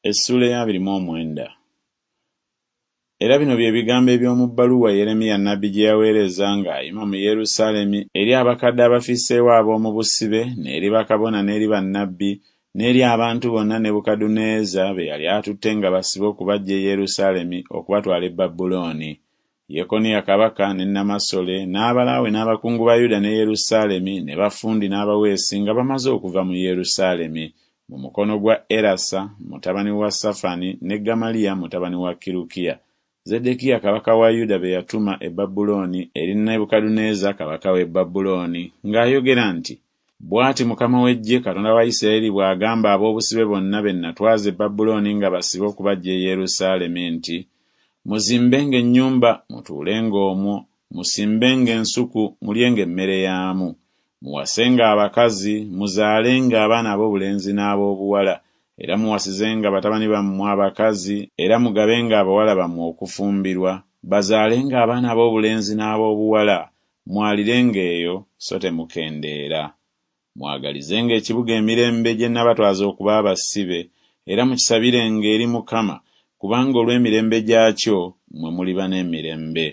Essuula ey'abiri mu omwenda. Era bino bye bigambo eby'omu bbaluwa Yeremiya nnabbi gye yaweereza ng'ayima mu Yerusaalemi eri abakadde abafisseewo ab'omu busibe n'eri bakabona n'eri bannabbi n'eri abantu bonna Nebukadduneeza be yali atutte nga basibe okubaggya e Yerusaalemi okubatwala e Babulooni, Yekoniya kabaka ne nnamasole n'abalaawe n'abakungu ba Yuda ne Yerusaalemi ne bafundi n'abaweesi nga bamaze okuva mu Yerusaalemi mu mukono gwa Erasa mutabani wa Safani ne Gamaliya mutabani wa Kirukiya, Zeddekiya kabaka wa Yuda be yatuma e Babulooni eri Nebukadduneeza kabaka w'e Babulooni ng'ayogera nti, Bw'ati Mukama w'eggye Katonda wa Isirayiri bw'agamba ab'obusibe bonna be nnatwaza e Babulooni nga basibe okubaggya e Yerusaalemi nti, Muzimbenga ennyumba mutuulenga omwo, musimbenga ensuku mulyenga emmere yaamu. Muwasenga abakazi, muzaalenga abaana ab'obulenzi n'ab'obuwala, era muwasizenga batabani bammwe abakazi era mugabenga abawala bammwe okufumbirwa, bazaalenga abaana ab'obulenzi n'ab'obuwala, mwalirenga eyo so temukendeera. Mwagalizenga ekibuga emirembe gye nnabatwaza okuba abasibe, era mukisabirenga eri Mukama, kubanga olw'emirembe gyakyo mmwe muliba n'emirembe.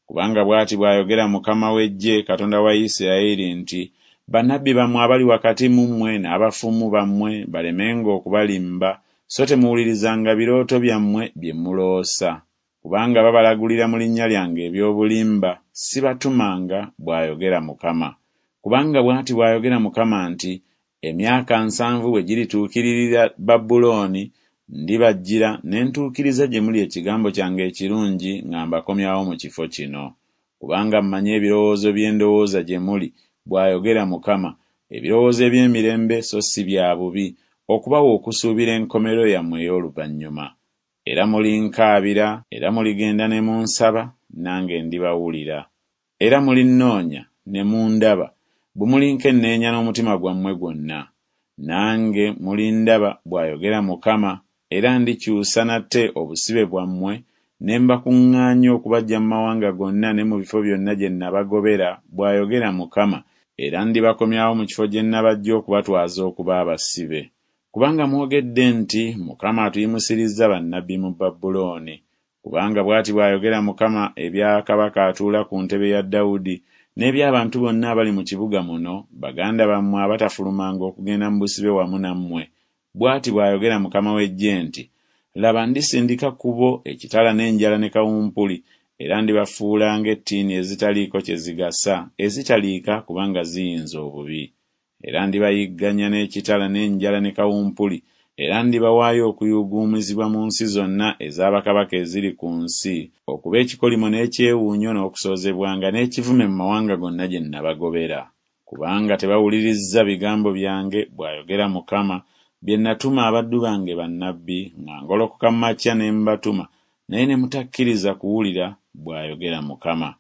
Kubanga bw'ati bw'ayogera Mukama w'eggye Katonda wa Isirayiri nti, Bannabbi bammwe abali wakati mu mmwe n'abafumu bammwe balemenga okubalimba, so temuwulirizanga birooto byammwe bye muloosa. Kubanga babalagulira mu linnya lyange eby'obulimba, sibatumanga, bw'ayogera Mukama. Kubanga bw'ati bw'ayogera Mukama nti, Emyaka 70 bwe girituukiririra Babulooni, ndibajjira ne ntuukiriza gye muli ekigambo kyange ekirungi nga mbakomyawo mu kifo kino. Kubanga mmanyi ebirowoozo bye ndowooza gye muli, bw'ayogera Mukama, ebirowoozo eby'emirembe so si bya bubi, okubawa okusuubira enkomerero yammwe ey'oluvannyuma. Era mulinkaabira, era muligenda ne munsaba, nange ndibawulira. Era mulinnoonya ne mundaba, bwe mulinkenneenya n'omutima gwammwe gwonna. Nange mulindaba, bw'ayogera Mukama, era ndikyusa nate obusibe bwammwe, ne mbakuŋŋaanya okubaggya mu mawanga gonna ne mu bifo byonna gye nnabagobera, bw'ayogera Mukama, era ndibakomyawo mu kifo gye nnabaggya okubatwaza okuba abasibe. Kubanga mwogedde nti Mukama atuyimusirizza bannabbi mu Babulooni. Kubanga bw'ati bw'ayogera Mukama ebya kabaka atuula ku ntebe ya Dawudi n'eby'abantu bonna abali mu kibuga muno, baganda bammwe abatafulumanga okugenda mu busibe wamu nammwe, bw'ati bw'ayogera Mukama w'eggye nti, Laba ndisindika ku bo ekitala n'enjala ne kawumpuli, era ndibafuula ng'ettiini ezitaliiko kye zigasa, ezitaliika kubanga ziyinze obubi. Era ndibayigganya n'ekitala n'enjala ne kawumpuli, era ndibawaayo okuyuuguumizibwa mu nsi zonna eza bakabaka eziri ku nsi, okuba ekikolimo n'ekyewuunyo n'okusoozebwanga n'ekivume mu mawanga gonna gye nnabagobera. Kubanga tebawulirizza bigambo byange, bw'ayogera Mukama, bye nnatuma abaddu bange bannabbi, nga ngolokoka mu makya ne mbatuma, naye ne mutakkiriza kuwulira, bw'ayogera Mukama.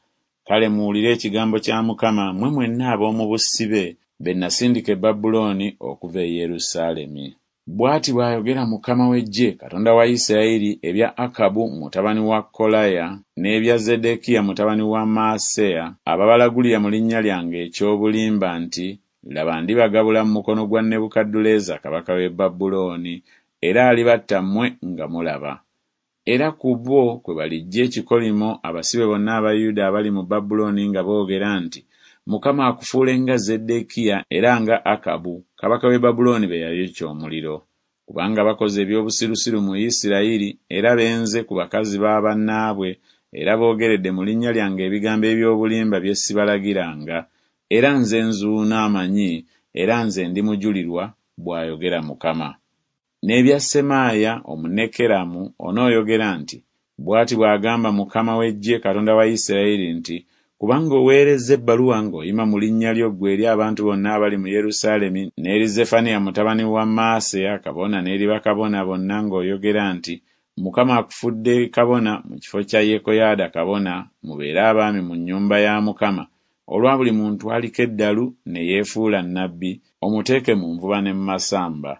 Kale muwulire ekigambo kya Mukama mmwe mwenna ab'omu busibe be nnasindika e Babulooni okuva e Yerusaalemi. Bw'ati bw'ayogera Mukama w'eggye, Katonda wa Isirayiri, ebya Akabu mutabani wa Kolaya n'ebya Zeddekiya mutabani wa Maaseya ababalagulira mu linnya lyange eky'obulimba nti, Laba ndibagabula mu mukono gwa Nebukadduleeza kabaka w'e Babulooni, era alibatta mmwe nga mulaba. Era ku bo kwe baliggya ekikolimo abasibe bonna aba Yuda abali mu Babulooni nga boogera nti, Mukama akufuule nga Zeddekiya era nga Akabu, kabaka w'e Babulooni be yayokya omuliro. Kubanga bakoze eby'obusirusiru mu Isirayiri era benze ku bakazi ba bannaabwe era boogeredde mu linnya lyange ebigambo eby'obulimba bye sibalagiranga, era nze nzuuno amanyi era nze ndi mujulirwa, bw'ayogera Mukama. N'ebya Semaaya Omunekeramu onooyogera nti, Bw'ati bw'agamba Mukama w'eggye Katonda wa Isirayiri nti, Kubanga oweerezza ebbaluwa ng'oyima mu linnya lyo ggwe eri abantu bonna abali mu Yerusaalemi n'eri Zeffaniya mutabani wa Maaseya kabona n'eri bakabona bonna ng'oyogera nti, Mukama akufudde kabona mu kifo kya Yekoyaada kabona, mubeere abaami mu nnyumba ya Mukama, olwa buli muntu aliko eddalu ne yeefuula nnabbi, omuteeke mu nvuba ne mu masamba.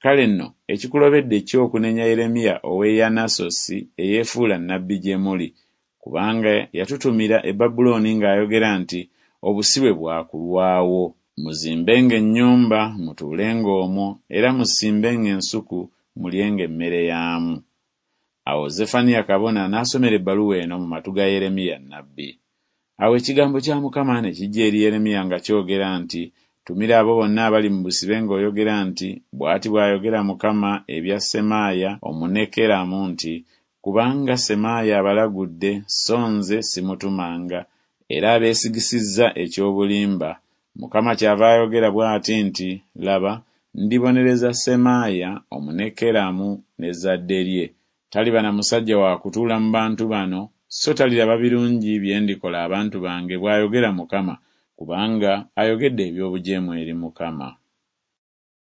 Kale nno ekikulobedde ki okunenya Yeremiya ow'e Yanasosi eyeefuula nnabbi gye muli? Kubanga yatutumira e Babulooni ng'ayogera nti Obusibe bwa kulwawo. Muzimbenga ennyumba, mutuulenga omwo, era musimbenga ensuku, mulyenga emmere yaamu. Awo Zeffaniya kabona n'asomera ebbaluwa eno mu matu ga Yeremiya nnabbi. Awo ekigambo kya Mukama ne kijja eri Yeremiya nga kyogera nti Tumira abo bonna abali mu busibe ng'oyogera nti Bw'ati bw'ayogera Mukama ebya Semaaya Omunekeramu nti Kubanga Semaaya abalagudde, so nze simutumanga, era abeesigisizza eky'obulimba, Mukama kyava ayogera bw'ati nti Laba, ndibonereza Semaaya Omunekeramu n'ezzadde lye, taliba na musajja wa kutuula mu bantu bano, so taliraba birungi bye ndikola abantu bange, bw'ayogera Mukama, kubanga ayogedde eby'obujeemu eri Mukama.